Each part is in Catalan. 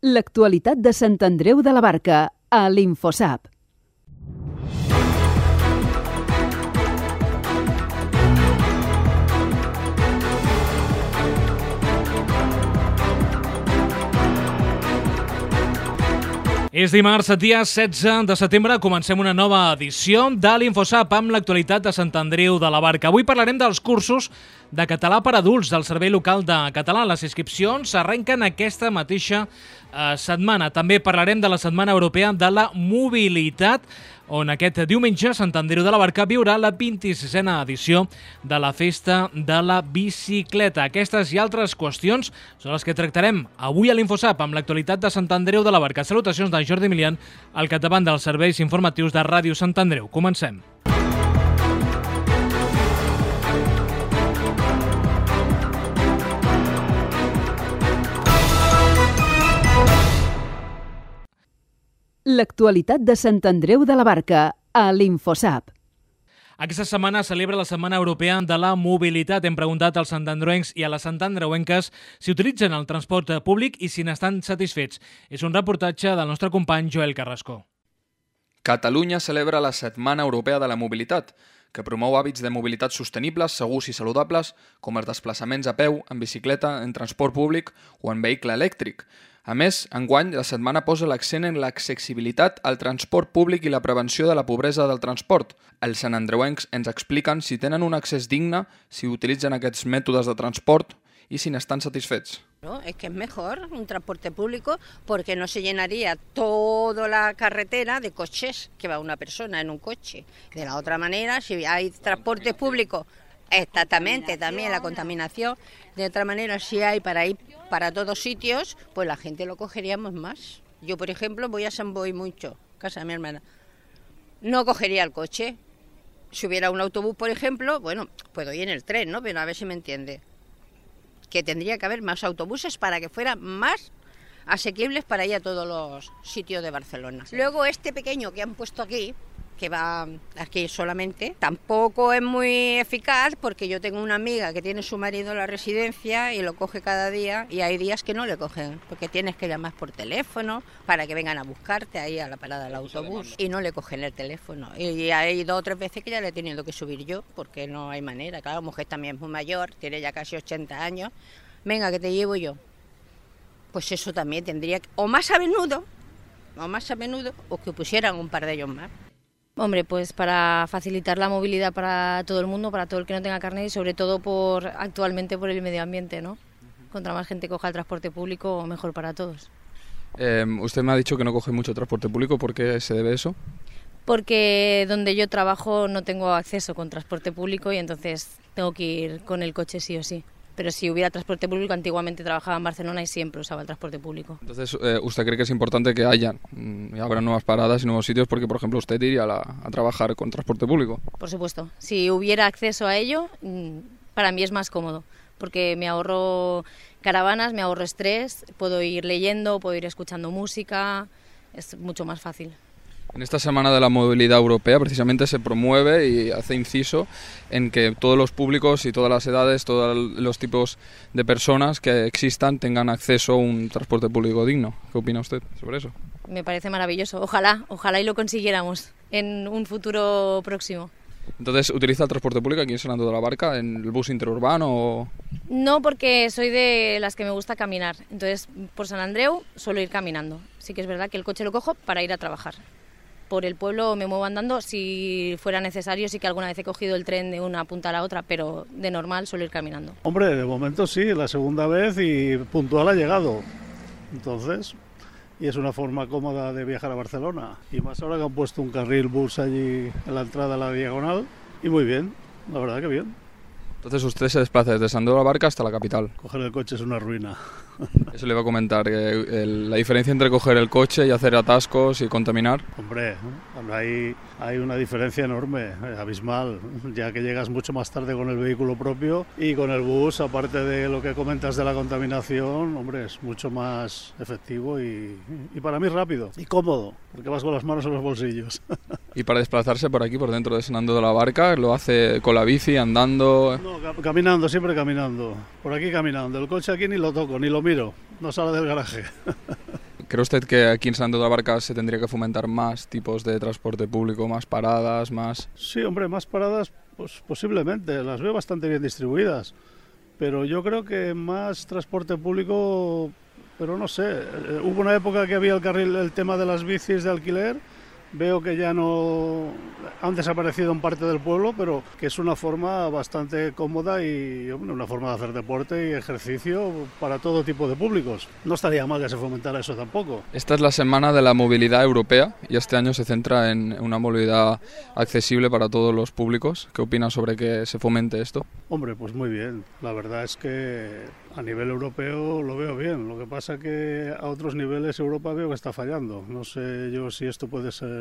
L'actualitat de Sant Andreu de la Barca, a l'Infosap. És dimarts, dia 16 de setembre, comencem una nova edició de l'Infosap amb l'actualitat de Sant Andreu de la Barca. Avui parlarem dels cursos de català per adults del Servei Local de Català. Les inscripcions s'arrenquen aquesta mateixa setmana. També parlarem de la Setmana Europea de la Mobilitat, on aquest diumenge Sant Andreu de la Barca viurà la 26a edició de la Festa de la Bicicleta. Aquestes i altres qüestions són les que tractarem avui a l'Infosap amb l'actualitat de Sant Andreu de la Barca. Salutacions de Jordi Milian, al capdavant dels serveis informatius de Ràdio Sant Andreu. Comencem. L'actualitat de Sant Andreu de la Barca, a l'Infosap. Aquesta setmana celebra la Setmana Europea de la Mobilitat. Hem preguntat als santandreuencs i a les santandreuenques si utilitzen el transport públic i si n'estan satisfets. És un reportatge del nostre company Joel Carrasco. Catalunya celebra la Setmana Europea de la Mobilitat, que promou hàbits de mobilitat sostenibles, segurs i saludables, com els desplaçaments a peu, en bicicleta, en transport públic o en vehicle elèctric. A més, enguany, la setmana posa l'accent en l'accessibilitat al transport públic i la prevenció de la pobresa del transport. Els santandreuencs ens expliquen si tenen un accés digne, si utilitzen aquests mètodes de transport y si están satisfechos. No, es que es mejor un transporte público porque no se llenaría toda la carretera de coches que va una persona en un coche. De la otra manera, si hay transporte público, exactamente, también la contaminación. De otra manera, si hay para ir para todos sitios, pues la gente lo cogeríamos más. Yo, por ejemplo, voy a San Boi mucho, casa de mi hermana. No cogería el coche. Si hubiera un autobús, por ejemplo, bueno, puedo ir en el tren, ¿no? Pero a ver si me entiende. Que tendría que haber más autobuses para que fueran más asequibles para ir a todos los sitios de Barcelona. Luego este pequeño que han puesto aquí, que va aquí solamente, tampoco es muy eficaz porque yo tengo una amiga que tiene su marido en la residencia y lo coge cada día y hay días que no le cogen porque tienes que llamar por teléfono para que vengan a buscarte ahí a la parada del autobús y no le cogen el teléfono. Y hay 2 o 3 veces que ya le he tenido que subir yo porque no hay manera. Claro, la mujer también es muy mayor, tiene ya casi 80 años. Venga, que te llevo yo. Pues eso también tendría que, o más a menudo o que pusieran un par de ellos más. Hombre, pues para facilitar la movilidad para todo el mundo, para todo el que no tenga carnet y sobre todo actualmente por el medio ambiente, ¿no? Contra más gente coja el transporte público, mejor para todos. Usted me ha dicho que no coge mucho transporte público, ¿por qué se debe eso? Porque donde yo trabajo no tengo acceso con transporte público y entonces tengo que ir con el coche sí o sí. Pero si hubiera transporte público, antiguamente trabajaba en Barcelona y siempre usaba el transporte público. Entonces, ¿usted cree que es importante que habrá nuevas paradas y nuevos sitios? Porque, por ejemplo, usted iría a trabajar con transporte público. Por supuesto. Si hubiera acceso a ello, para mí es más cómodo. Porque me ahorro caravanas, me ahorro estrés, puedo ir leyendo, puedo ir escuchando música, es mucho más fácil. En esta Semana de la Movilidad Europea precisamente se promueve y hace inciso en que todos los públicos y todas las edades, todos los tipos de personas que existan tengan acceso a un transporte público digno. ¿Qué opina usted sobre eso? Me parece maravilloso. Ojalá y lo consiguiéramos en un futuro próximo. Entonces, ¿utiliza el transporte público aquí en Sant Andreu de la Barca, en el bus interurbano o...? No, porque soy de las que me gusta caminar. Entonces, por Sant Andreu suelo ir caminando. Sí que es verdad que el coche lo cojo para ir a trabajar. Por el pueblo me muevo andando, si fuera necesario sí que alguna vez he cogido el tren de una punta a la otra, pero de normal suelo ir caminando. Hombre, de momento sí, la segunda vez y puntual ha llegado, entonces, y es una forma cómoda de viajar a Barcelona, y más ahora que han puesto un carril bus allí en la entrada a la diagonal, y muy bien, la verdad que bien. Entonces usted se desplaza desde Sant Andreu de la Barca hasta la capital. Coger el coche es una ruina. Eso le iba a comentar, la diferencia entre coger el coche y hacer atascos y contaminar. Hombre, hay una diferencia enorme, abismal, ya que llegas mucho más tarde con el vehículo propio y con el bus, aparte de lo que comentas de la contaminación, hombre, es mucho más efectivo y para mí rápido y cómodo, porque vas con las manos en los bolsillos. Y para desplazarse por aquí, por dentro de Sant Andreu de la Barca, ¿lo hace con la bici, andando? No, caminando, siempre caminando. Por aquí caminando. El coche aquí ni lo toco, ni lo miro. No sale del garaje. ¿Cree usted que aquí en San Andreu de la Barca se tendría que fomentar más tipos de transporte público, más paradas, más...? Sí, hombre, más paradas, pues posiblemente, las veo bastante bien distribuidas, pero yo creo que más transporte público, pero no sé, hubo una época que había el tema de las bicis de alquiler. Veo que ya no han desaparecido en parte del pueblo, pero que es una forma bastante cómoda y una forma de hacer deporte y ejercicio para todo tipo de públicos. No estaría mal que se fomentara eso tampoco. Esta es la semana de la movilidad europea y este año se centra en una movilidad accesible para todos los públicos. ¿Qué opina sobre que se fomente esto? Hombre, pues muy bien. La verdad es que a nivel europeo lo veo bien. Lo que pasa que a otros niveles Europa veo que está fallando. No sé yo si esto puede ser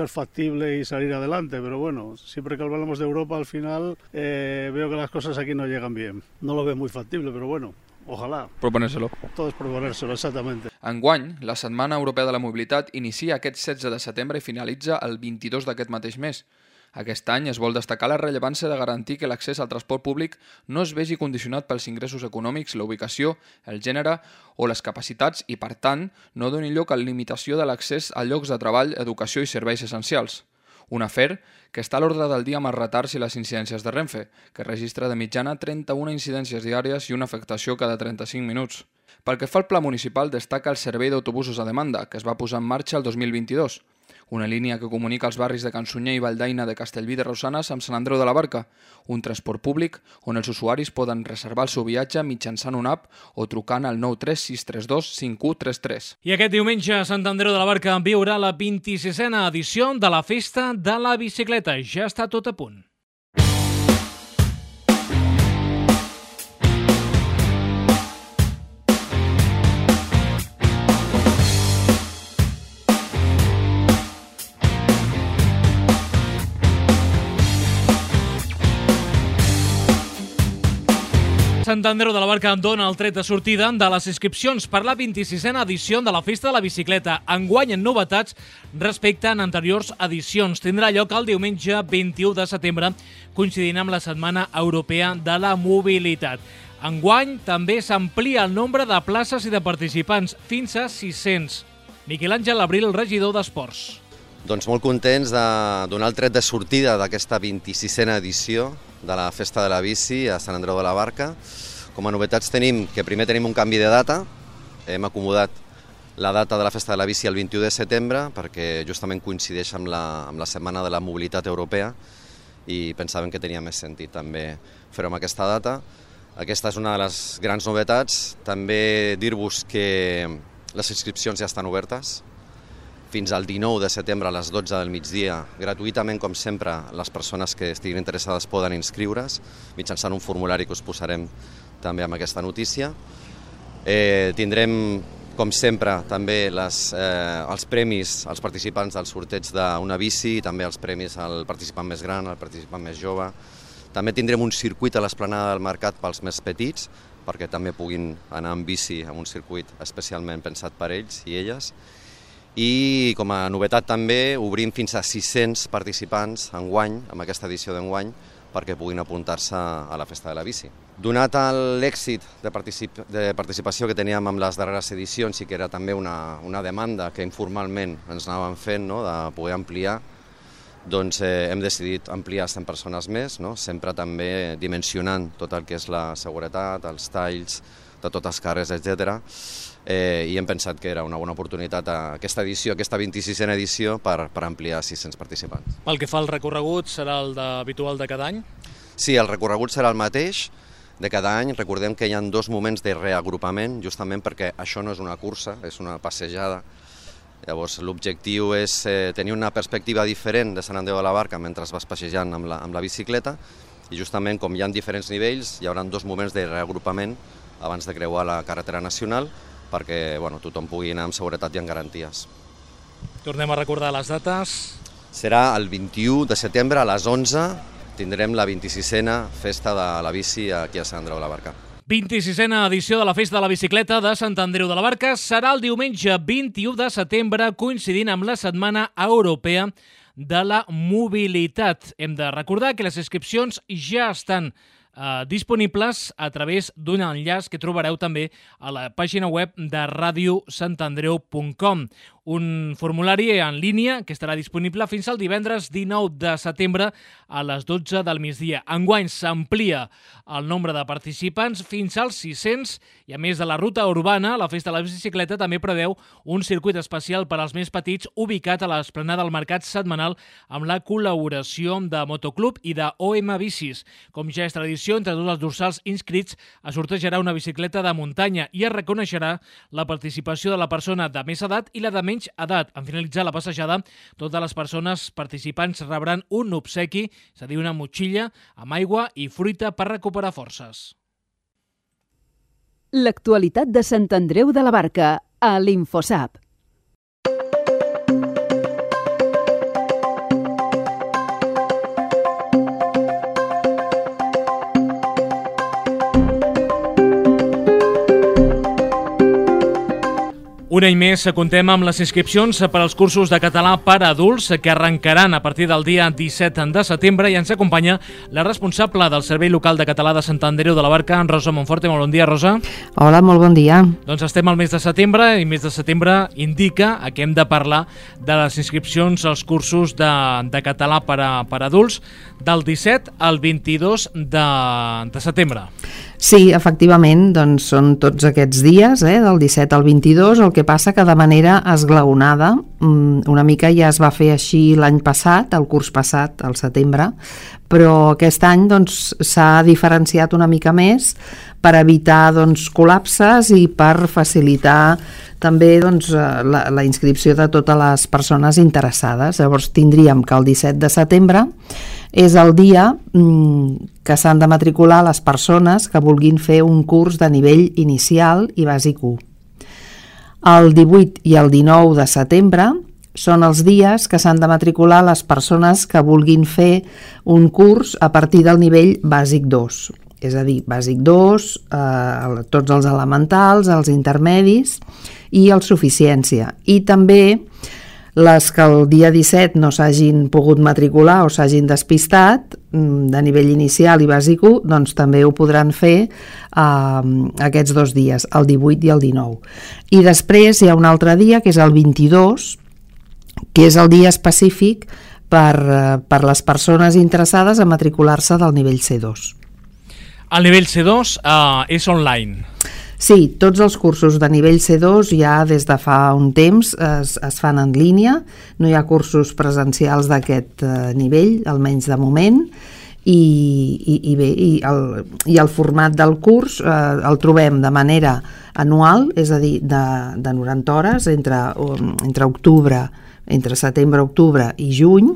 factible y salir adelante, pero bueno, siempre que hablamos de Europa al final veo que las cosas aquí no llegan bien. No lo veo muy factible, pero bueno, ojalà. Proponérselo. Tot és proponérselo, exactament. Enguany, la Setmana Europea de la Mobilitat inicia aquest 16 de setembre i finalitza el 22 d'aquest mateix mes. Aquest any es vol destacar la rellevància de garantir que l'accés al transport públic no es vegi condicionat pels ingressos econòmics, la ubicació, el gènere o les capacitats i, per tant, no doni lloc a la limitació de l'accés a llocs de treball, educació i serveis essencials. Un afer que està a l'ordre del dia amb els retards i les incidències de Renfe, que registra de mitjana 31 incidències diàries i una afectació cada 35 minuts. Pel que fa al pla municipal, destaca el servei d'autobusos a demanda, que es va posar en marxa el 2022. Una línia que comunica els barris de Can Sunyer i Valldaina de Castellví de Rosanes amb Sant Andreu de la Barca, un transport públic on els usuaris poden reservar el seu viatge mitjançant una app o trucant al 93632 5133. I aquest diumenge a Sant Andreu de la Barca viurà la 26a edició de la Festa de la Bicicleta. Ja està tot a punt. Sant Andreu de la Barca dona el tret de sortida de les inscripcions per la 26a edició de la Festa de la Bicicleta. Enguany en novetats respecte a anteriors edicions. Tindrà lloc el diumenge 21 de setembre, coincidint amb la Setmana Europea de la Mobilitat. Enguany també s'amplia el nombre de places i de participants, fins a 600. Miquel Àngel Abril, regidor d'Esports. Doncs molt contents de donar el tret de sortida d'aquesta 26a edició de la Festa de la Bici a Sant Andreu de la Barca. Com a novetats tenim que primer tenim un canvi de data. Hem acomodat la data de la Festa de la Bici el 21 de setembre perquè justament coincideix amb la Setmana de la Mobilitat Europea i pensàvem que tenia més sentit també fer-ho amb aquesta data. Aquesta és una de les grans novetats. També dir-vos que les inscripcions ja estan obertes. Fins al 19 de setembre a les 12 del migdia, gratuïtament, com sempre, les persones que estiguin interessades poden inscriure's mitjançant un formulari que us posarem també amb aquesta notícia. Tindrem, com sempre, també els premis als participants del sorteig d'una bici i també els premis al participant més gran, al participant més jove. També tindrem un circuit a l'esplanada del mercat pels més petits, perquè també puguin anar amb bici a un circuit especialment pensat per ells i elles. I com a novetat també obrim fins a 600 participants enguany, amb aquesta edició d'enguany, perquè puguin apuntar-se a la Festa de la Bici. Donat l'èxit de participació que teníem amb les darreres edicions i que era també una demanda que informalment ens anàvem fent, de poder ampliar, doncs hem decidit ampliar 100 persones més, sempre també dimensionant tot el que és la seguretat, els talls de totes les carres, etc. I hem pensat que era una bona oportunitat aquesta edició, aquesta 26a edició, per ampliar 600 participants. Pel que fa al recorregut, serà el habitual de cada any? Sí, el recorregut serà el mateix de cada any. Recordem que hi ha 2 moments de reagrupament, justament perquè això no és una cursa, és una passejada. Llavors, l'objectiu és tenir una perspectiva diferent de Sant Andreu de la Barca mentre vas passejant amb la bicicleta i justament com hi ha diferents nivells, hi haurà 2 moments de reagrupament abans de creuar la carretera nacional perquè tothom pugui anar amb seguretat i amb garanties. Tornem a recordar les dates. Serà el 21 de setembre a les 11, tindrem la 26a Festa de la Bici aquí a Sant Andreu de la Barca. 26a edició de la Festa de la Bicicleta de Sant Andreu de la Barca serà el diumenge 21 de setembre, coincidint amb la Setmana Europea de la Mobilitat. Hem de recordar que les inscripcions ja estan disponibles a través d'un enllaç que trobareu també a la pàgina web de radiosantandreu.com. Un formulari en línia que estarà disponible fins al divendres 19 de setembre a les 12 del migdia. Enguany s'amplia el nombre de participants fins als 600 i a més de la ruta urbana, la Festa de la Bicicleta també preveu un circuit especial per als més petits ubicat a l'esplanada del Mercat Setmanal amb la col·laboració de Motoclub i de OM Bicis. Com ja és tradició, entre tots els dorsals inscrits es sortejarà una bicicleta de muntanya i es reconeixerà la participació de la persona de més edat i la de menys edat. En finalitzar la passejada, totes les persones participants rebran un obsequi, és a dir, una motxilla amb aigua i fruita per recuperar forces. L'actualitat de Sant Andreu de la Barca a l'Infosap. Un any més contem amb les inscripcions per als cursos de català per a adults que arrencaran a partir del dia 17 de setembre i ens acompanya la responsable del Servei Local de Català de Sant Andreu de la Barca, Rosa Monforte. Molt bon dia, Rosa. Hola, molt bon dia. Doncs estem al mes de setembre i mes de setembre indica que hem de parlar de les inscripcions als cursos de català per a adults del 17 al 22 de setembre. Sí, efectivament, doncs són tots aquests dies, del 17 al 22, el que passa que de manera esglaonada, una mica ja es va fer així l'any passat, el curs passat, al setembre, però aquest any doncs, s'ha diferenciat una mica més per evitar doncs, col·lapses i per facilitar també doncs, la inscripció de totes les persones interessades. Llavors tindríem que el 17 de setembre és el dia que s'han de matricular les persones que vulguin fer un curs de nivell inicial i bàsic 1. El 18 i el 19 de setembre són els dies que s'han de matricular les persones que vulguin fer un curs a partir del nivell bàsic 2. És a dir, bàsic 2, tots els elementals, els intermedis i el suficiència. I també les que el dia 17 no s'hagin pogut matricular o s'hagin despistat de nivell inicial i bàsic 1, doncs també ho podran fer aquests dos dies, el 18 i el 19. I després hi ha un altre dia, que és el 22, que és el dia específic per les persones interessades a matricular-se del nivell C2. El nivell C2 és online. Sí, tots els cursos de nivell C2 ja des de fa un temps es fan en línia, no hi ha cursos presencials d'aquest nivell, almenys de moment, i el format del curs el trobem de manera anual, és a dir, de 90 hores entre setembre, octubre i juny,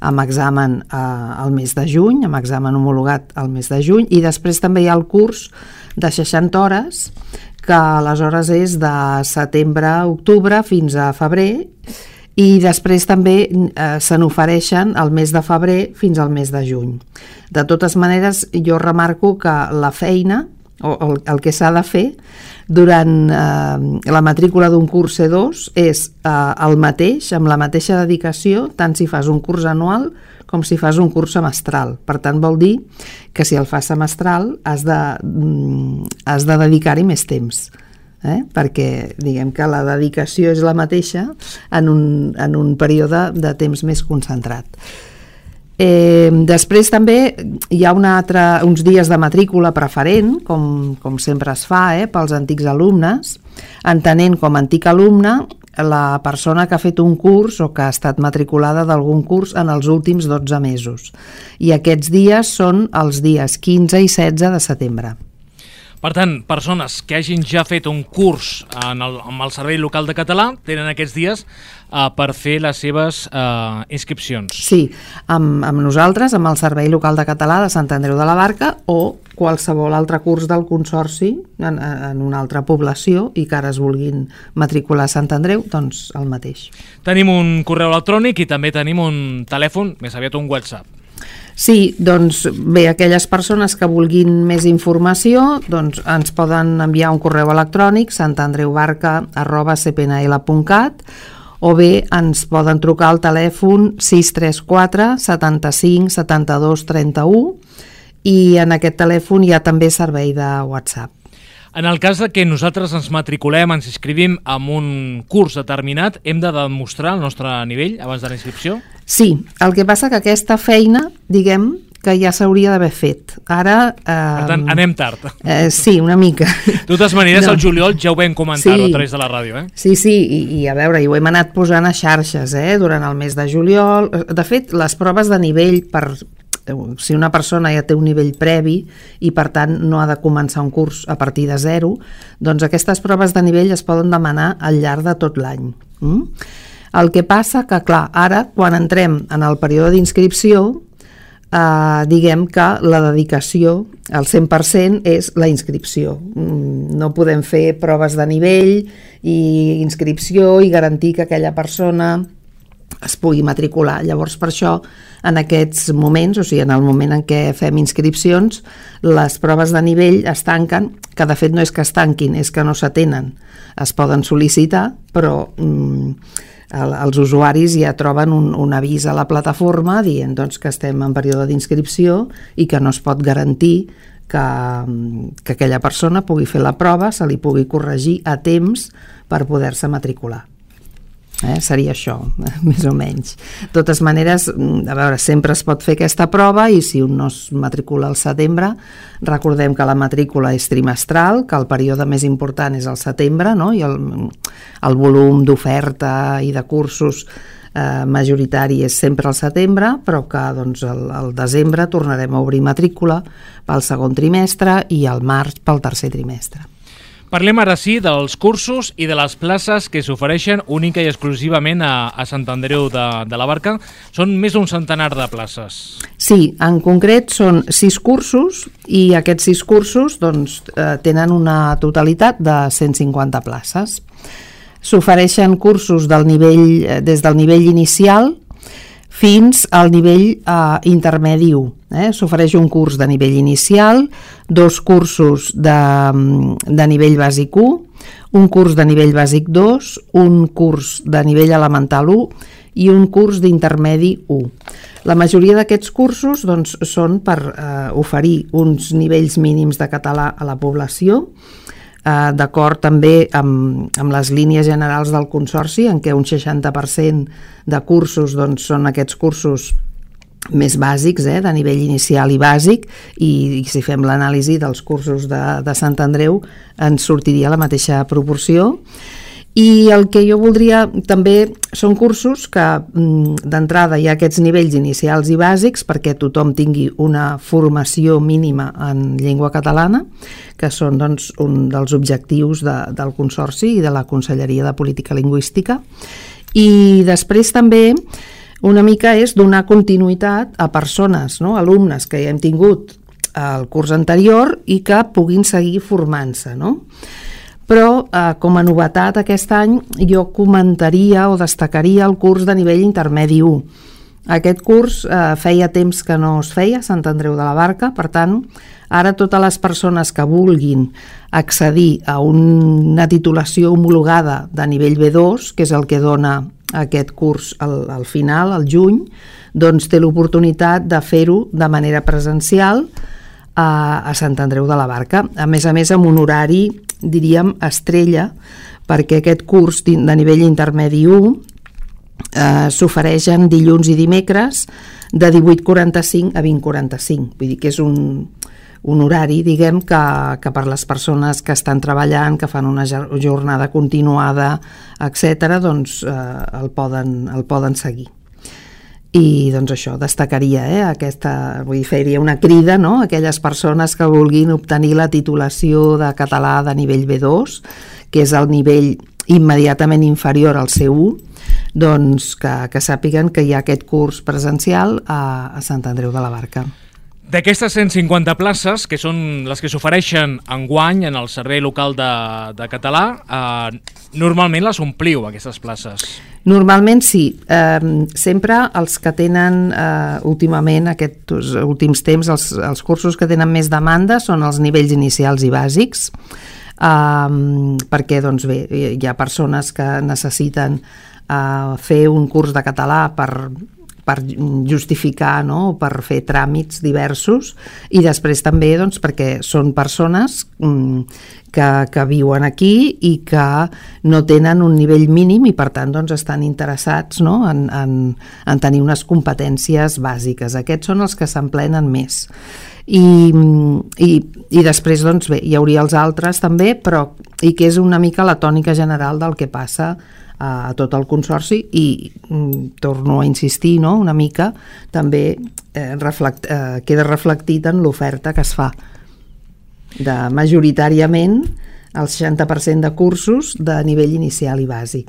amb examen al mes de juny, amb examen homologat al mes de juny, i després també hi ha el curs de 60 hores, que aleshores és de setembre a octubre fins a febrer, i després també se n'ofereixen el mes de febrer fins al mes de juny. De totes maneres, jo remarco que la feina, o el que s'ha de fer durant la matrícula d'un curs C2 és el mateix, amb la mateixa dedicació, tant si fas un curs anual com si fas un curs semestral. Per tant, vol dir que si el fas semestral has de dedicar-hi més temps, perquè diguem que la dedicació és la mateixa en un període de temps més concentrat. Després també hi ha uns dies de matrícula preferent, com sempre es fa pels antics alumnes, entenent com a antic alumne la persona que ha fet un curs o que ha estat matriculada d'algun curs en els últims 12 mesos. I aquests dies són els dies 15 i 16 de setembre. Per tant, persones que hagin ja fet un curs amb el Servei Local de Català tenen aquests dies per fer les seves inscripcions. Sí, amb nosaltres, amb el Servei Local de Català de Sant Andreu de la Barca, o qualsevol altre curs del Consorci en una altra població i que ara es vulguin matricular a Sant Andreu, doncs el mateix. Tenim un correu electrònic i també tenim un telèfon, més aviat un WhatsApp. Sí, doncs bé, aquelles persones que vulguin més informació doncs ens poden enviar un correu electrònic santandreubarca@cpnl.cat o bé ens poden trucar al telèfon 634 75 72 31 i en aquest telèfon hi ha també servei de WhatsApp. En el cas de que nosaltres ens matriculem, ens inscrivim en un curs determinat, hem de demostrar el nostre nivell abans de la inscripció? Sí, el que passa que aquesta feina, diguem, que ja s'hauria d'haver fet. Ara... Per tant, anem tard. Sí, una mica. De totes maneres, al juliol ja ho vam comentar-ho a través de la ràdio, Sí, i a veure, ho hem anat posant a xarxes, durant el mes de juliol. De fet, les proves de nivell si una persona ja té un nivell previ i per tant no ha de començar un curs a partir de zero, doncs aquestes proves de nivell es poden demanar al llarg de tot l'any. El que passa que, clar, ara quan entrem en el període d'inscripció, diguem que la dedicació al 100% és la inscripció. No podem fer proves de nivell i inscripció i garantir que aquella persona es pugui matricular. Llavors, per això, en aquests moments, o sigui, en el moment en què fem inscripcions, les proves de nivell es tanquen, que de fet no és que es tanquin, és que no s'atenen. Es poden sol·licitar, però els usuaris ja troben un avís a la plataforma dient doncs, que estem en període d'inscripció i que no es pot garantir que aquella persona pugui fer la prova, se li pugui corregir a temps per poder-se matricular. Seria això, més o menys. De totes maneres, a veure, sempre es pot fer aquesta prova i si un no es matricula al setembre, recordem que la matrícula és trimestral, que el període més important és el setembre, no? I el volum d'oferta i de cursos majoritari és sempre al setembre, però que doncs, al desembre tornarem a obrir matrícula pel segon trimestre i al març pel tercer trimestre. Parlem ara sí dels cursos i de les places que s'ofereixen única i exclusivament a Sant Andreu de la Barca. Són més d'un centenar de places. Sí, en concret són 6 cursos i aquests 6 cursos doncs, tenen una totalitat de 150 places. S'ofereixen cursos des del nivell inicial fins al nivell intermedi 1. S'ofereix un curs de nivell inicial, 2 cursos de nivell bàsic 1, un curs de nivell bàsic 2, un curs de nivell elemental 1 i un curs d'intermedi 1. La majoria d'aquests cursos doncs, són per oferir uns nivells mínims de català a la població, d'acord també amb les línies generals del Consorci, en què un 60% de cursos doncs, són aquests cursos més bàsics, de nivell inicial i bàsic, i si fem l'anàlisi dels cursos de Sant Andreu ens sortiria la mateixa proporció. I el que jo voldria també són cursos que d'entrada hi ha aquests nivells inicials i bàsics perquè tothom tingui una formació mínima en llengua catalana, que són doncs, un dels objectius del Consorci i de la Conselleria de Política Lingüística. I després també una mica és donar continuïtat a persones, alumnes que ja hem tingut el curs anterior i que puguin seguir formant-se, Però, com a novetat aquest any, jo comentaria o destacaria el curs de nivell intermedi 1. Aquest curs feia temps que no es feia a Sant Andreu de la Barca, per tant, ara totes les persones que vulguin accedir a una titulació homologada de nivell B2, que és el que dona aquest curs al final, al juny, doncs té l'oportunitat de fer-ho de manera presencial a Sant Andreu de la Barca. A més, amb un horari, diríem, estrella, perquè aquest curs de nivell intermedi 1 s'ofereixen dilluns i dimecres de 18:45 a 20:45. Vull dir que és un horari, diguem, que per les persones que estan treballant, que fan una jornada continuada, etc., doncs el poden seguir. I doncs això, destacaria faria una crida a aquelles persones que vulguin obtenir la titulació de català de nivell B2, que és el nivell immediatament inferior al C1, doncs que sàpiguen que hi ha aquest curs presencial a Sant Andreu de la Barca. D'aquestes 150 places, que són les que s'ofereixen enguany en el Servei Local de Català, normalment les ompliu, aquestes places? Normalment sí. Sempre els que tenen últimament, aquests últims temps, els cursos que tenen més demanda són els nivells inicials i bàsics, perquè doncs bé, hi ha persones que necessiten fer un curs de català per per justificar, no?, per fer tràmits diversos, i després també doncs, perquè són persones que viuen aquí i que no tenen un nivell mínim i per tant doncs, estan interessats, no?, en tenir unes competències bàsiques. Aquests són els que s'emplenen més. I després doncs, bé, hi hauria els altres també, però i que és una mica la tònica general del que passa a tot el consorci i torno a insistir, no?, una mica també queda reflectit en l'oferta que es fa de majoritàriament el 60% de cursos de nivell inicial i bàsic.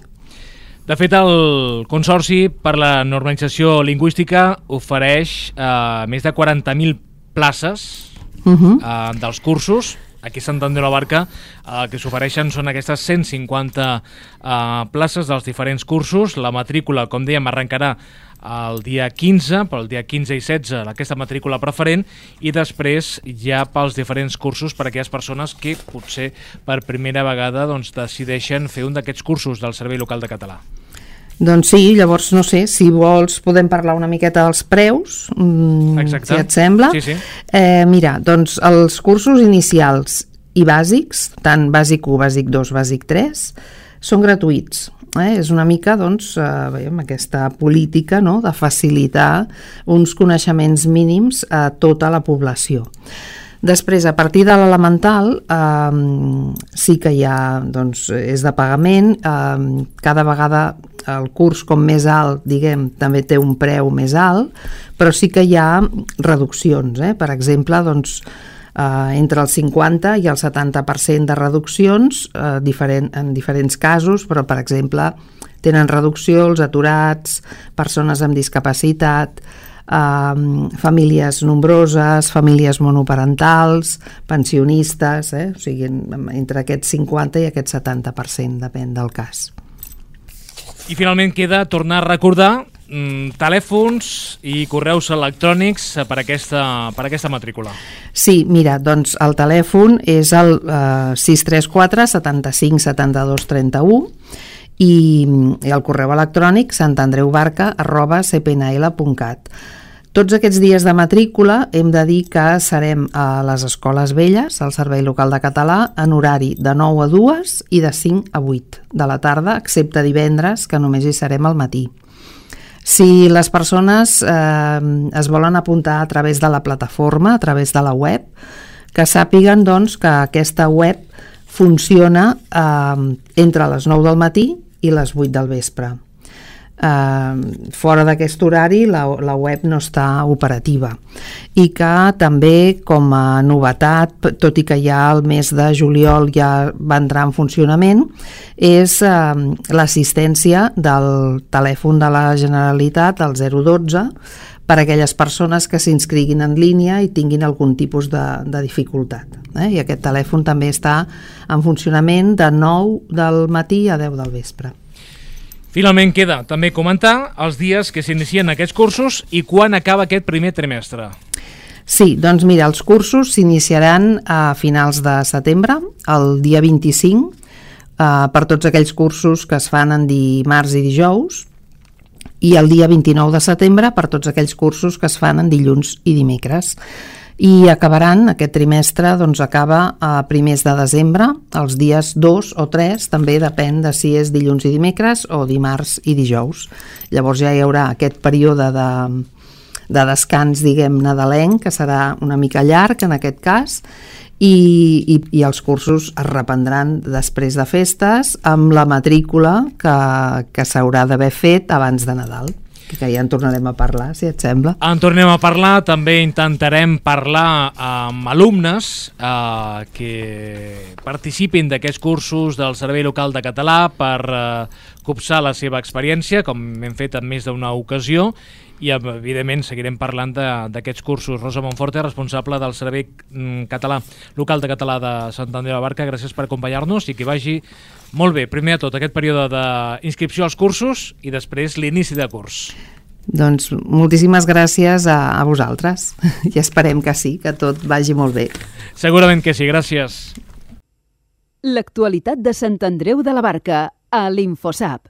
De fet, el Consorci per la Normalització Lingüística ofereix més de 40.000 places dels cursos. Aquí a Sant Andreu de la Barca el que s'ofereixen són aquestes 150 places dels diferents cursos. La matrícula, com dèiem, arrencarà el dia 15, però el dia 15 i 16 aquesta matrícula preferent, i després ja pels diferents cursos per a aquelles persones que potser per primera vegada doncs, decideixen fer un d'aquests cursos del Servei Local de Català. Doncs sí, llavors no sé, si vols podem parlar una miqueta dels preus, si et sembla. Sí. Mira, doncs els cursos inicials i bàsics, tant bàsic 1, bàsic 2, bàsic 3, són gratuïts. És una mica doncs, aquesta política, no?, de facilitar uns coneixements mínims a tota la població. Després, a partir de l'elemental, sí que ja doncs, és de pagament. Cada vegada el curs com més alt, diguem, també té un preu més alt, però sí que hi ha reduccions. Per exemple, doncs, entre el 50 i el 70% de reduccions en diferents casos, però per exemple tenen reducció els aturats, persones amb discapacitat, famílies nombroses, famílies monoparentals, pensionistes, o sigui, entre aquest 50 i aquest 70%, depèn del cas. I finalment queda tornar a recordar telèfons i correus electrònics per aquesta matrícula. Sí, mira, doncs el telèfon és el 634 75 72 31 i el correu electrònic santandreubarca@cpnl.cat. Tots aquests dies de matrícula hem de dir que serem a les Escoles Velles, al Servei Local de Català, en horari de 9 a 2 i de 5 a 8 de la tarda, excepte divendres, que només hi serem al matí. Si les persones es volen apuntar a través de la plataforma, a través de la web, que sàpiguen doncs, que aquesta web funciona entre les 9 del matí i les 8 del vespre. Fora d'aquest horari la web no està operativa, i que també com a novetat, tot i que ja el mes de juliol ja va entrar en funcionament, és l'assistència del telèfon de la Generalitat, el 012, per a aquelles persones que s'inscriguin en línia i tinguin algun tipus de dificultat. I aquest telèfon també està en funcionament de 9 del matí a 10 del vespre. Finalment queda també comentar els dies que s'inicien aquests cursos i quan acaba aquest primer trimestre. Sí, doncs mira, els cursos s'iniciaran a finals de setembre, el dia 25, per tots aquells cursos que es fan en dimarts i dijous, i el dia 29 de setembre per tots aquells cursos que es fan en dilluns i dimecres. I acabaran, aquest trimestre doncs acaba a primers de desembre, els dies 2 o 3, també depèn de si és dilluns i dimecres o dimarts i dijous. Llavors ja hi haurà aquest període de descans, diguem, nadalenc, que serà una mica llarg en aquest cas, i els cursos es reprendran després de festes amb la matrícula que s'haurà d'haver fet abans de Nadal, que ja en tornarem a parlar, si et sembla. En tornem a parlar, també intentarem parlar amb alumnes que participin d'aquests cursos del Servei Local de Català per copsar la seva experiència, com hem fet en més d'una ocasió, i evidentment seguirem parlant d'aquests cursos. Rosa Monforte, responsable del Servei Local de Català de Sant Andreu de la Barca, gràcies per acompanyar-nos i que vagi molt bé, primer de tot, aquest període d'inscripció als cursos i després l'inici de curs. Doncs moltíssimes gràcies a vosaltres i esperem que sí, que tot vagi molt bé. Segurament que sí, gràcies. L'actualitat de Sant Andreu de la Barca a l'Infosap.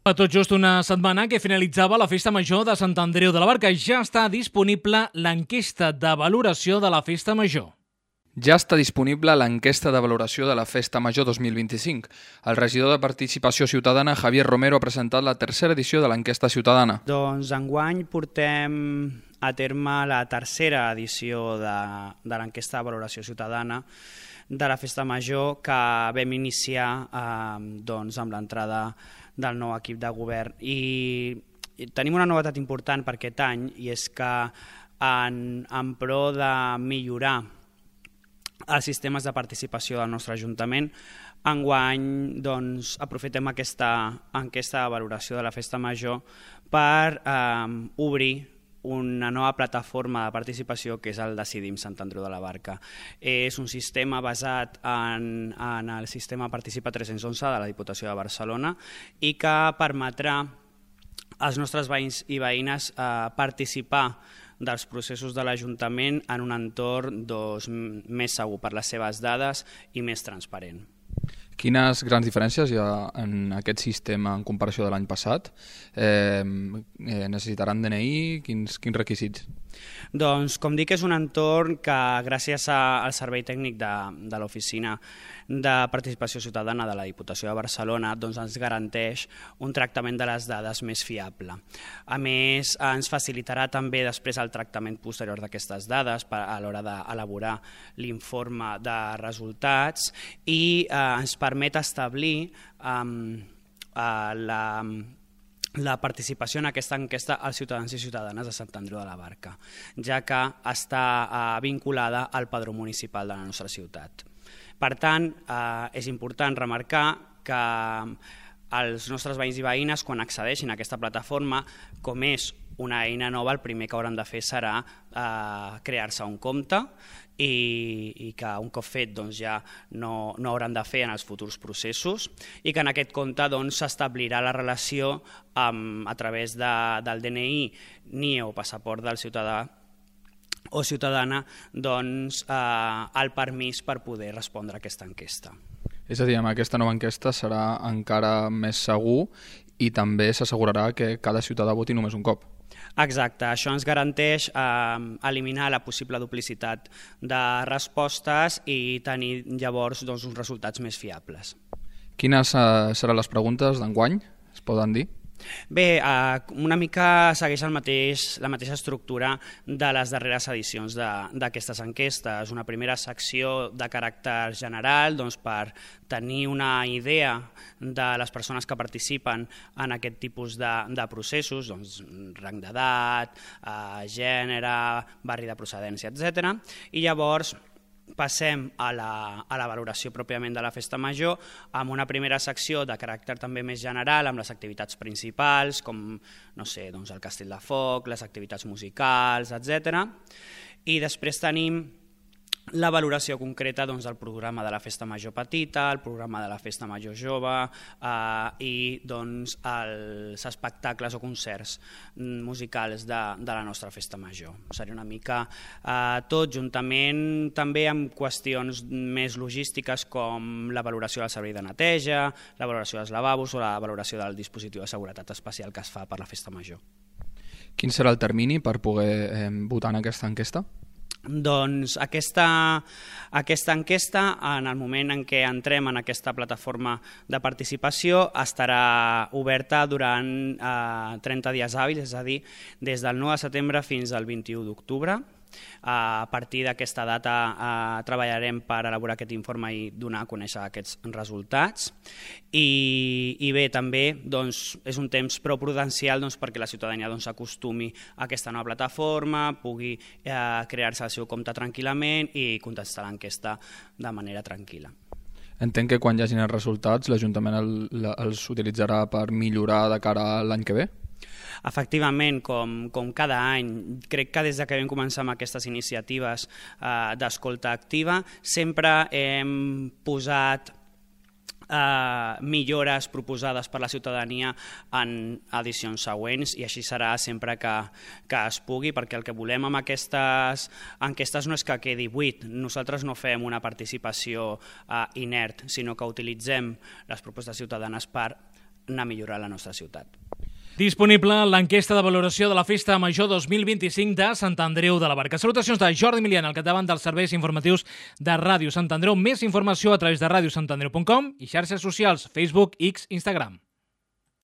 Fa tot just una setmana que finalitzava la Festa Major de Sant Andreu de la Barca. Ja està disponible l'enquesta de valoració de la Festa Major. Ja està disponible l'enquesta de valoració de la Festa Major 2025. El regidor de Participació Ciutadana, Javier Romero, ha presentat la tercera edició de l'enquesta ciutadana. Doncs enguany portem a terme la tercera edició de l'enquesta de valoració ciutadana de la Festa Major, que vam iniciar amb l'entrada del nou equip de govern. I tenim una novetat important per aquest any, i és que en pro de millorar els sistemes de participació del nostre Ajuntament, enguany aprofitem aquesta enquesta de valoració de la Festa Major per obrir una nova plataforma de participació, que és el Decidim Sant Andreu de la Barca. És un sistema basat en el sistema Participa 311 de la Diputació de Barcelona i que permetrà als nostres veïns i veïnes participar dels processos de l'Ajuntament en un entorn més segur per les seves dades i més transparent. Quines grans diferències hi ha en aquest sistema en comparació de l'any passat? Necessitaran DNI? Quins requisits? Doncs, com dic, és un entorn que, gràcies al servei tècnic de l'Oficina de Participació Ciutadana de la Diputació de Barcelona, ens garanteix un tractament de les dades més fiable. A més, ens facilitarà també després el tractament posterior d'aquestes dades a l'hora d'elaborar l'informe de resultats i ens permet establir la participació en aquesta enquesta als ciutadans i ciutadanes de Sant Andreu de la Barca, ja que està vinculada al padró municipal de la nostra ciutat. Per tant, és important remarcar que els nostres veïns i veïnes, quan accedeixin a aquesta plataforma, com és una eina nova, el primer que hauran de fer serà crear-se un compte i que un cop fet ja no hauran de fer en els futurs processos, i que en aquest compte s'establirà la relació a través del DNI, NIE o passaport del ciutadà o ciutadana el permís per poder respondre a aquesta enquesta. És a dir, amb aquesta nova enquesta serà encara més segur i també s'assegurarà que cada ciutadà voti només un cop. Exacte, això ens garanteix eliminar la possible duplicitat de respostes i tenir llavors uns resultats més fiables. Quines seran les preguntes d'enguany? Es poden dir? Bé, una mica segueix la mateixa estructura de les darreres edicions d'aquestes enquestes. Una primera secció de caràcter general per tenir una idea de les persones que participen en aquest tipus de processos, rang d'edat, gènere, barri de procedència, etc. I llavors passem a la valoració pròpiament de la Festa Major, amb una primera secció de caràcter també més general, amb les activitats principals, com el Castell de Foc, les activitats musicals, etc. I després tenim la valoració concreta del programa de la Festa Major Petita, el programa de la Festa Major Jove i els espectacles o concerts musicals de la nostra Festa Major. Seria una mica tot, juntament també amb qüestions més logístiques com la valoració del servei de neteja, la valoració dels lavabos o la valoració del dispositiu de seguretat especial que es fa per la Festa Major. Quin serà el termini per poder votar en aquesta enquesta? Doncs aquesta enquesta, en el moment en què entrem en aquesta plataforma de participació, estarà oberta durant 30 dies hàbils, és a dir, des del 9 de setembre fins al 21 d'octubre. A partir d'aquesta data treballarem per elaborar aquest informe i donar a conèixer aquests resultats. I bé, també és un temps prou prudencial perquè la ciutadania s'acostumi a aquesta nova plataforma, pugui crear-se el seu compte tranquil·lament i contestar l'enquesta de manera tranquil·la. Entenc que quan hi hagin els resultats l'Ajuntament els utilitzarà per millorar de cara a l'any que ve? Efectivament, com cada any, crec que des que vam començar amb aquestes iniciatives d'escolta activa, sempre hem posat millores proposades per la ciutadania en edicions següents, i així serà sempre que es pugui, perquè el que volem amb aquestes enquestes no és que quedi buit. Nosaltres no fem una participació inert, sinó que utilitzem les propostes ciutadanes per anar a millorar la nostra ciutat. Disponible l'enquesta de valoració de la Festa Major 2025 de Sant Andreu de la Barca. Salutacions de Jordi Milian, al capdavant dels serveis informatius de Ràdio Sant Andreu. Més informació a través de radiosantandreu.com i xarxes socials, Facebook, X, Instagram.